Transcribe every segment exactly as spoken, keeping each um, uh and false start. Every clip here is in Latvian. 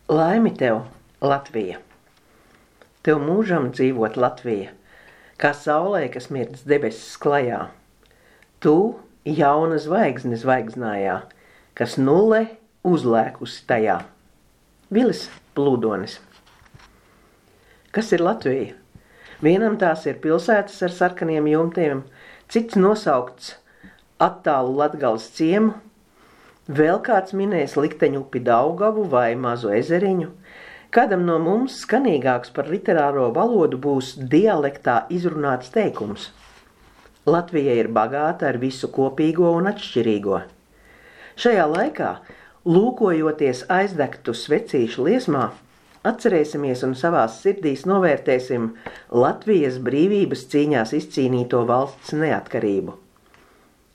Laimi tev, Latvija! Tev mūžam dzīvot Latvija, kā saulē, kas mirdz debesis klajā. Tu jauna zvaigzne zvaigznājā, kas nulle uzlēkusi tajā. Vilis Plūdonis. Kas ir Latvija? Vienam tās ir pilsētas ar sarkaniem jumtiem, cits nosaukts attālu Latgales ciemu, vēl kāds minēs likteņu upi Daugavu vai mazu ezeriņu. Kādam no mums skanīgāks par literāro valodu būs dialektā izrunāts teikums. Latvija ir bagāta ar visu kopīgo un atšķirīgo. Šajā laikā, lūkojoties aizdegtu svecīšu liesmā, atcerēsimies un savās sirdīs novērtēsim Latvijas brīvības cīņās izcīnīto valsts neatkarību.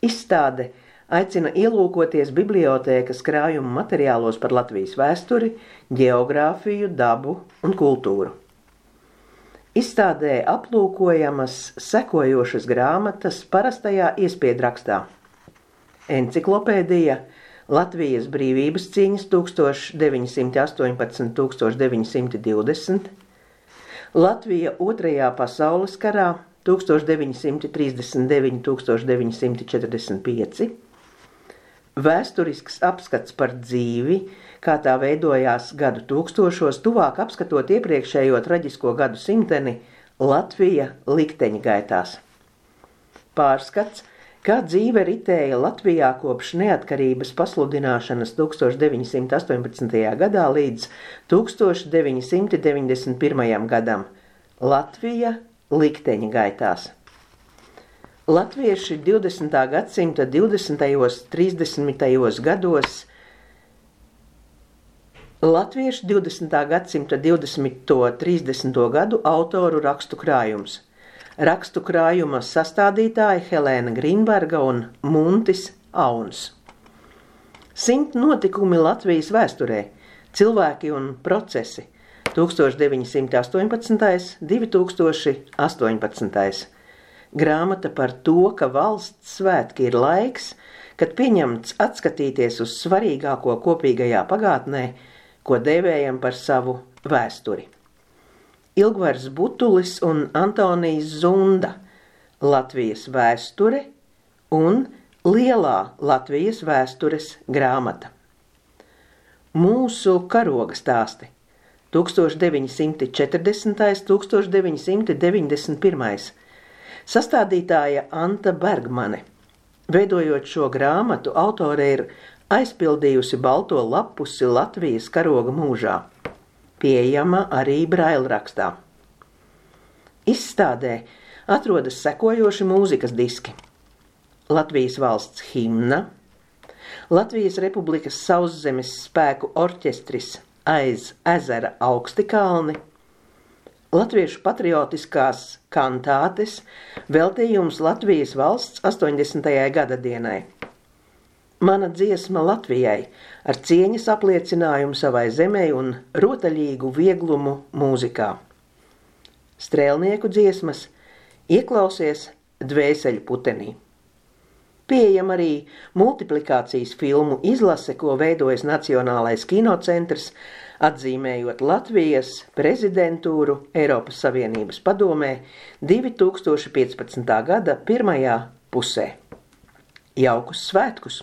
Izstāde aicina ielūkoties bibliotēkas krājuma materiālos par Latvijas vēsturi, ģeogrāfiju, dabu un kultūru. Izstādē aplūkojamas sekojošas grāmatas parastajā iespiedrakstā. Enciklopēdija Latvijas brīvības cīņas tūkstoš deviņi simti astoņpadsmit līdz tūkstoš deviņi simti divdesmit, Latvija otrajā pasaules karā tūkstoš deviņi simti trīsdesmit deviņi līdz tūkstoš deviņi simti četrdesmit pieci, vēsturisks apskats par dzīvi, kā tā veidojās gadu tūkstošos, tuvāk apskatot iepriekšējo traģisko gadu simteni Latvija likteņa gaitās. Pārskats, kā dzīve ritēja Latvijā kopš neatkarības pasludināšanas tūkstoš deviņi simti astoņpadsmitajā gadā līdz tūkstoš deviņi simti deviņdesmit pirmajam gadam. Latvija likteņa gaitās. Latvieši divdesmitā gadsimta divdesmitajos, trīsdesmitajos gados Latvieši divdesmitā gadsimta divdesmito, trīsdesmito gadu autoru rakstu krājums. Rakstu krājuma sastādītāji Helēna Grīnberga un Muntis Auns. Simt notikumi Latvijas vēsturē, cilvēki un procesi, tūkstoš deviņi simti astoņpadsmitais, divi tūkstoši astoņpadsmitais. Grāmata par to, ka valsts svētki ir laiks, kad pieņemts atskatīties uz svarīgāko kopīgajā pagātnē, ko dēvējam par savu vēsturi. Ilgvars Butulis un Antonijs Zunda, Latvijas vēsture un Lielā Latvijas vēstures grāmata. Mūsu karoga stāsti tūkstoš deviņi simti četrdesmitais, tūkstoš deviņi simti deviņdesmit pirmais. Sastādītāja Anta Bergmane. Veidojot šo grāmatu, autore ir aizpildījusi balto lapusi Latvijas karoga mūžā. Pieejama arī brailrakstā. Izstādē atrodas sekojoši mūzikas diski. Latvijas valsts himna, Latvijas Republikas Sauszemes spēku orķestris Aiz ezera augsti kalni, Latviešu patriotiskās kantātes, veltījums Latvijas valsts astoņdesmitajai gadadienai. Mana dziesma Latvijai ar cieņas apliecinājumu savai zemei un rotaļīgu vieglumu mūzikā. Strēlnieku dziesmas Ieklausies dvēseļu putenī. Pieejam arī multiplikācijas filmu izlase, ko veidojas Nacionālais kinocentrs, atzīmējot Latvijas prezidentūru Eiropas Savienības padomē divi tūkstoši piecpadsmitā gada pirmajā pusē. Jaukus svētkus!